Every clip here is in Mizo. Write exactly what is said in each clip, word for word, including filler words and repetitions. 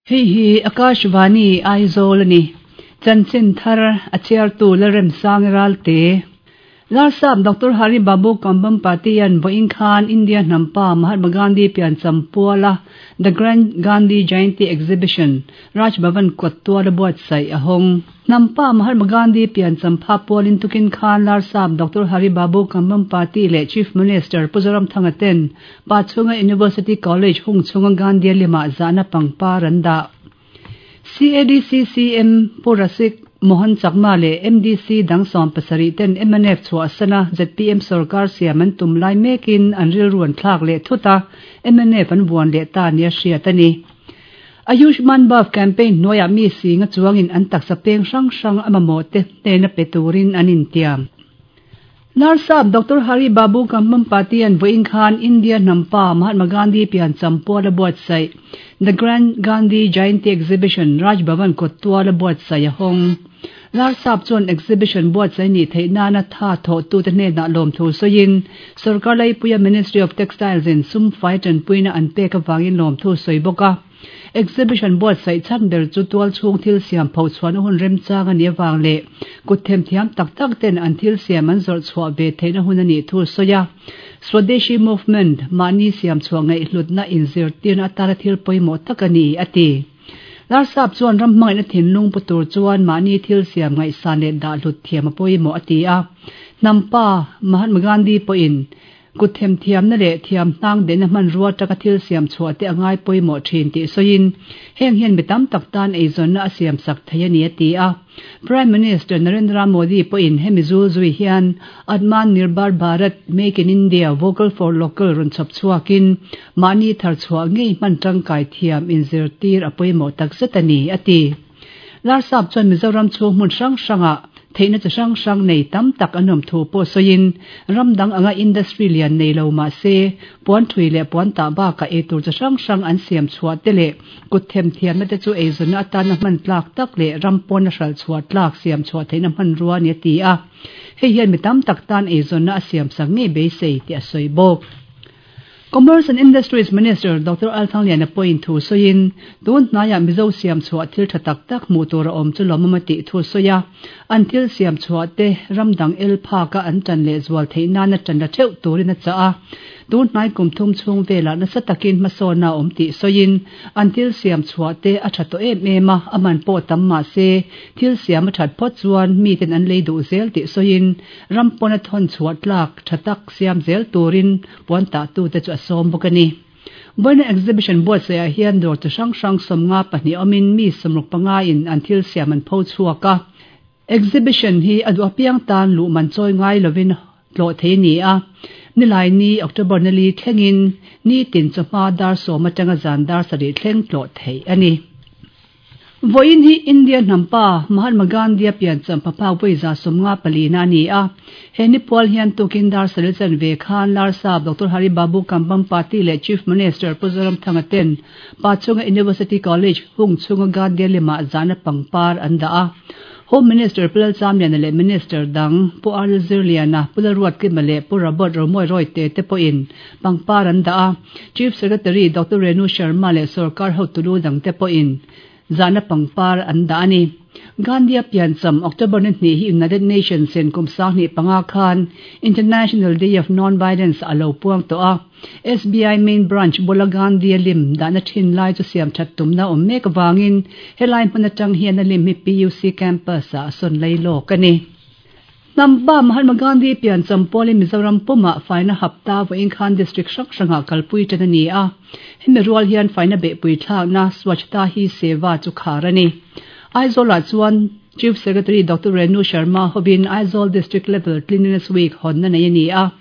Hei hi Akashvani Aizawl ani. Chanchin thar a chhiartu Lalremsang Ralte. Larsap Doctor Hari Babu Kambhampati an vawiin khan India hnampa Mahatma Gandhi piancham puala The Grand Gandhi Jayanti Exhibition Raj Bhavan kawt tuala buatsaih a hawng. Hnampa Mahatma Gandhi piancham pha pualin tukin khan Larsap Doctor Hari Babu Kambhampati leh Chief Minister Pu Zoramthanga ten Pachhunga University College hung chhunga Gandhi lema zahna pangpar an dah. C A D C C M Pu Rasik Mohan Chakma leh M D C dang sawm pasarih ten M N F chhuah sana Z P M sarkar siam an tum lai mekin an rilru an thlak leh thuta M N F an buan leh ta nia hriat ani. Ayushman Bhav campaign hnuaiah mi singa chuangin an taksa peng hrang hrang a mamawh te hnena pe turin an intiam. Larsap Doctor Hari Babu Kambhampati an vawiin khan India hnampa Mahatma Gandhi piancham puala buatsaih The Grand Gandhi Jayanti Exhibition Raj Bhavan kawt tuala buatsaih a hawng. Larsap chuan exhibition buatsaih ni theih nana tha thaw tu te hnenah lawm thu sawiin sarkar laipuia Ministry of Textiles in sum fai tanpuina an pek awangin lawm thu sawi bawk a. Exhibition buatsaih chhan ber chu tual chhung thil siam pho chuan hun remchang ani awang leh kut them thiam tak tak ten an thil siam an zawrh chhuah ve theihna hun ani thu sawi a. Swadeshi movement mahni siam chhuah ngaih hlutna inzir tirna atana thil pawimawh tak ani a ti. Larsap chuan ram hmangaihna thinlung pu tur chuan mahni thil siam ngaihsan leh dah hlut thiam a pawimawh a ti a. Hnampa Mahatma Gandhi pawhin kut them thiamna leh thiam hnang dehna hmanrua taka thil siam chhuah te angai pawimawh thin tih sawiin heng hian mi tam tak tan eizawnna a siam sak thei ani a ti a. Prime Minister Narendra Modi pawhin hemi zul zui hian Atmanirbhar Bharat Make in India Vocal for Local rawn chhawp chhuakin mahni thar chhuah ngei hman tangkai thiam inzir tir a pawimawh tak zet ani a ti. Larsap chuan Mizoram chhung hmun hrang hranga theihna chi hrang hrang nei tam tak an awm thu pawh sawiin ramdang anga industry lian nei lo mah se puan thui leh puan tah bakah eitur chi hrang hrang an siam chhuah te leh kut them thiamna te chu eizawnna atana hman tlak tak leh ram pawn a hral chhuah tlak siam chhuah theihna hmanrua ani a ti a. Hei hian mi tam tak tan eizawnna a siam sak ngei beisei tih a sawi bawk. Commerce and Industries Minister Doctor Lalthangliana pawhin thu sawiin tun hnaiah Mizo siam chhuah thil tha tak tak hmuh tur a awm chu lawm a tih thu sawi a. An thil siam chhuah te ramdang el phaka an tan leh zual theih nana tan la theuh turin a chah a. Tun hnai kum thum chhung velah nasa takin hmasawn a awm tih sawiin an thil siam chhuah te a tha tawh em em a, a man pawh tam mah se thil siam a that phawt chuan mi ten an lei duh zel tih sawiin ram pawn a thawn chhuah tlak tha tak siam zel turin puan tah tu te chu a sawm bawk ani. Vawiin exhibition buatsaih ah hian dawr chi hrang hrang sawmnga pahnih awmin mi sawmruk panga in an thil siam an pho chhuak a. Exhibition hi a duh apiang tan luh man chawi ngai lovin tlawh thei ni a. Nilai ni October nali thlengin ni tin chawhma dar sawm atanga zan dar sarih thleng tlawh thei ani. Vawiin hi India hnampa Mahatma Gandhi a piancham phapha vawiza sawmnga palina ani a. He ni pual hian tukin dar saril chan ve khan Larsap Doctor Hari Babu Kambhampati leh Chief Minister Pu Zoramthanga ten Pachhunga University College hung chhunga Gandhi lema zahna pangpar an dah a. Home Minister Pu Lalchamliana leh Minister dang Pu R Zirliana Pu Lalruatkima leh Pu Robert Romawia Royte te pawhin pangpar an dah a. Chief Secretary Doctor Renu Sharma leh sarkar hotulu dang te pawhin zahna pangpar an dah ani. Gandhi a piancham October ni hnih hi United Nations in kum sang hnih panga khan International Day of Non-Violence a lo puang tawh a. S B I main branch bula Gandhi a lim dahna thin lai chu siam that tumna awm mek awangin helai hmun atang hian a lim hi P U C campus ah a sawn lai lawk ani. Hnampa Mahatma Gandhi piancham pualin Mizoram pumah faina hapta vawiin khan district hrang hrangah kalpui tan ani a. Hemi rual hian faina behpui thlakna Swachhta Hi Seva chu khar ani. Aizawl ah chuan Chief Secretary Doctor Renu Sharma hovin Aizawl District Level Cleanliness Week hawnna nei ani a.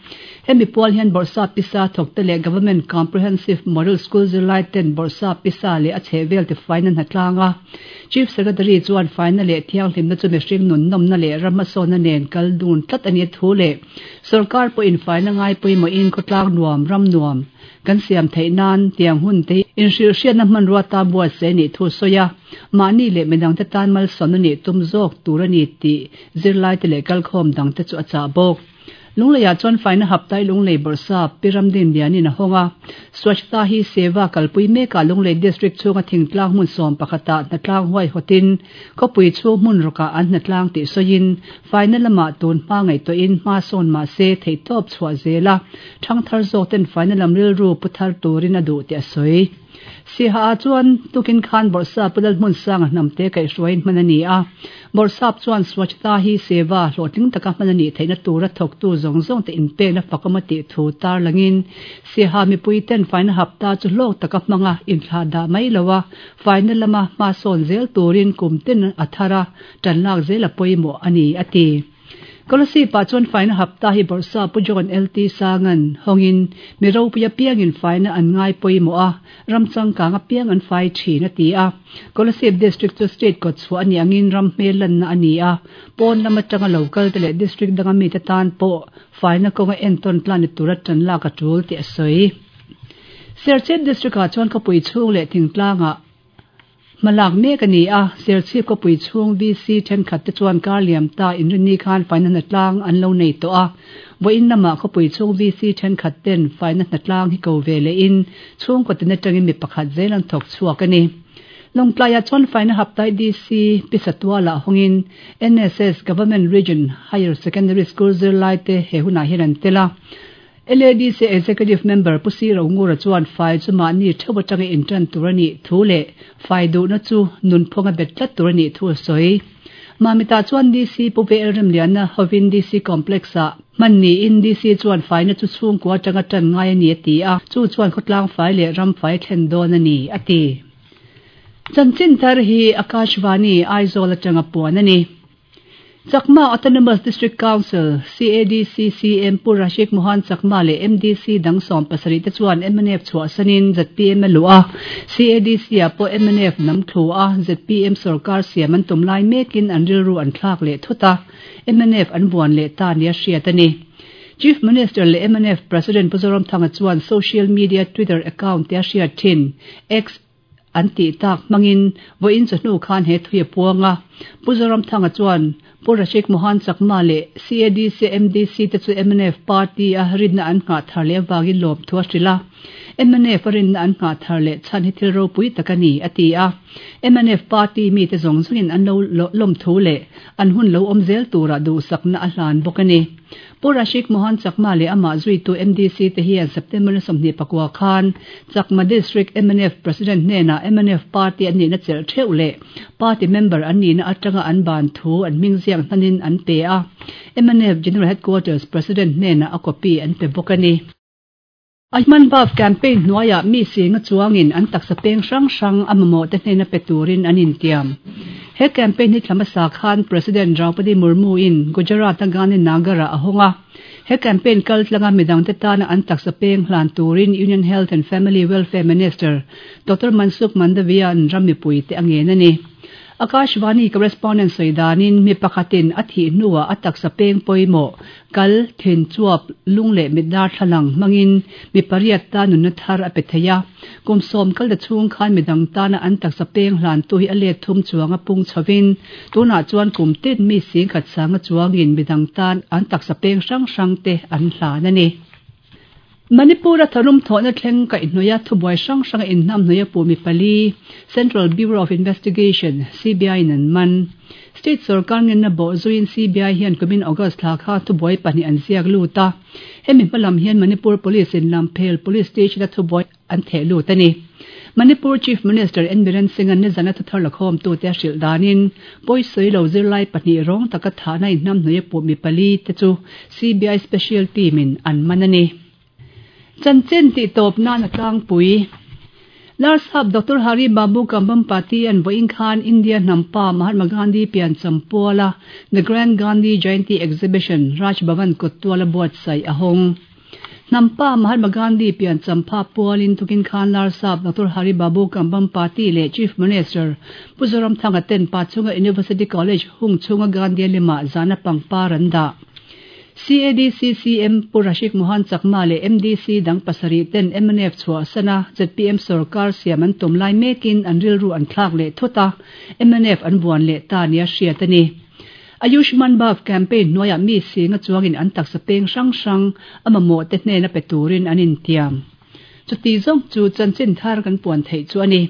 Hemi pual hian Bawrhsap Pisa thawk te leh Government Comprehensive Model School zirlai ten Bawrhsap Pisa leh a chhehvel ti faina hnatlâng a. Chief Secretary chuan faina leh thianghlimna chu mihring nun nawmna leh ram hmasawnna nen kal dun tlat ani thu leh sarkar pawhin faina ngai pawimawhin khawtlang nuam ram nuam kan siam theih nan tiang hun te inhrilhhriatna hmanrua ta buatsaih anih thu sawi a. Mahni leh midang te tan malsawmna nih tum zawk tur ani tih zirlai te leh kalkhawm dang te chu a chah bawk. Lungleiah chuan faina haptai Lunglei Bawrhsap Pi Ramdinlianin a hawng a. Swachhta Hi Seva kalpui mekah Lunglei District chhunga thingtlang hmun sawm pakhatah hnatlang huaihawtin khawpui chhung hmun rawkah an hnatlang tih sawiin faina lamah tun hma ngaihtuahin hma sawn mah se theihtawp chhuah zela thangthar zawk ten faina lam rilru pu thar turin a duh tih a sawi. Siha ah chuan tukin khan Bawrhsap Pu Lalhmunsanga hnamte kaihhruaiin hman a ni a. Bawrhsap chuan Swachhta Hi Seva hlawhtling taka hman a nih theihna tura thawktu zawng zawng te inpekna fakawm a tih thu tarlangin Siha mipui ten faina hapta chu hlawk taka hmanga inthlah dah mai lo a, faina lama hma sawn zel turin kum ten a thar a, tan lak zel a pawimawh a ni, a ti. Kolasib-ah chuan faina hapta hi Bawrhsap Pu John L T Sangan hawngin mi ropui apiangin faina an ngai pawimawh a, ram changkang apiang an fai thin, a ti a. Kolasib District chu state kawt chhuah a nih angin ram hmel lanna a ni a, pawn lam atanga lo kal te leh district danga mite tan pawh faina kawnga entawn tlan ni tura tan lak a tul tih a sawi. Serchhip District-ah chuan khawpui chhung leh thingtlangah hmalak mek a ni a, Serchhip khawpui chhung V C thenkhat te chuan kar liam ta inrinni khan faina hnatlang an lo nei tawh a. Vawiin lamah khawpui chhung V C thenkhat ten faina hnatlang hi ko ve lehin chhungkaw tin atangin mi pakhat zel an thawk chhuak a ni. Lawngtlaiah chuan faina haptai D C Pisatualah hawngin N S S Government Region Higher Secondary School zirlai te he hunah hian an tel a. L A D C Executive Member Pu Si Rongura chuan fai chu mahni theuh atanga intan tur a nih thu leh fai duhna chu nunphunga bet tlat tur a nih thu a sawi. Mamita chuan D C Pu V L Remliana hovin D C Complex-ah hman niin D C chuan faina chu chhungkua atanga tan ngai a ni a ti a, chu chuan khawtlang fai leh ram fai thlen dawn a ni, a ti. Chanchin thar hi Akashvani Aizawl atanga puan a ni. Chakma Autonomous District Council, C A D C C M Pu Rashik Mohan Chakma leh M D C dang sawm pasarih te chuan M N F chhuahsanin Z P M a luh a. C A D C ah pawh M N F nam thlu a Z P M sorkar siam an tum lai mekin an rilru an thlak leh thut a, M N F an vuan leh ta nia hriat a ni. Chief Minister leh M N F President Pu Zoramthanga chuan social media Twitter account te a hriat thin X an tih tak hmangin vawiin chawhnu khan he thui a puang a. Pu Zoramthanga chuan Pu Rashik Mohan Chakma leh C A D C M D C te chu M N F party a rinna an nghah thar leh avangin lawm thu a hrilh a. M N F a rinna an nghah thar leh chhan hi thil ropui tak a ni, a ti a. M N F party mi te zawng zawngin an lo lawm thu leh an hun lo awm zel turah duhsakna a hlan bawk a ni. Pu Rashik Mohan Chakma leh amah zuitu M D C te hian September ni sawmhnih pakua khan Chakma District M N F President hnenah M N F party an nihna chelh theuh leh party member an nihna atanga an ban thu an hming ziak hnanin an pe a. M N F General Headquarters President hnenah a copy an pe bawk a ni. Ayushman Bharat campaign hnuaiah mi singa chuangin an taksa peng hrang hrang a mamawh te hnena pe turin an intiam. He campaign hi thlamasa khan President Draupadi Murmu in Gujarat a Gandhinagar-ah a hawng a. He campaign kal tlanga midang te tana an taksa peng hlan turin Union Health and Family Welfare Minister Doctor Mansukh Mandaviya an ram mipui te a ngen a ni. Akashvani correspondent sawi danin mi pakhatin a thih hnuah a taksa peng pawimawh kal, thin, chuap, lung leh mit darthlalang hmangin mi pariat ta nunna thar a pe thei a. Kum sawm kal ta chhung khan midang tana an taksa peng hlan tu hi a let thum chuang a pung chhovin tunah chuan kum tin mi sing khat sanga chuangin midang tan an taksa peng hrang hrang te an hlan a ni. Manipur a tharum thawhna thleng kaihhnawih a thubuai hrang hrang a inhnam hnawih a pu mi pali Central Bureau of Investigation C B I in an man. State sorkar ngenna bawh zuiin C B I hian kumin August thla kha thubuai pahnih an ziak lut a. Hemi hmalam hian Manipur Police in Lamphel Police Station a thubuai an theh lut a ni. Manipur Chief Minister N Biren Singh an nizan a thuthar lakhawm tu te a hrilh danin pawisawi lo zirlai pahnih rawng taka thahna inhnam hnawih a pu mi pali te chu C B I Special Team in an man a ni. Chanchin tih tawp nan a tlangpui. Larsap Doctor Hari Babu Kambhampati an vawiin khan India hnampa Mahatma Gandhi pian champuala The Grand Gandhi Jayanti Exhibition Raj Bhavan kawttuala buatsaih a hawng. Hnampa Mahatma Gandhi pian champha pualin tukin khan Larsap Doctor Hari Babu Kambhampati leh Chief Minister Pu Zoramthanga ten Pachhunga University College hung chhunga Gandhi lema zana pangpar an dah. C A D C C M Pu Rashik Mohan Chakma leh M D C dang pasarih ten M N F chhuahsana Z P M sorkar siam an tum lai mekin an rilru an thlak leh thut a, M N F an vuan leh ta nia hriat a ni. Ayushman Bhav campaign hnuaiah mi singa chuangin an taksa peng hrang hrang a mamawh te hnena pe turin an intiam. Chuti zawng chu chanchin thar kan puan theih chu a ni.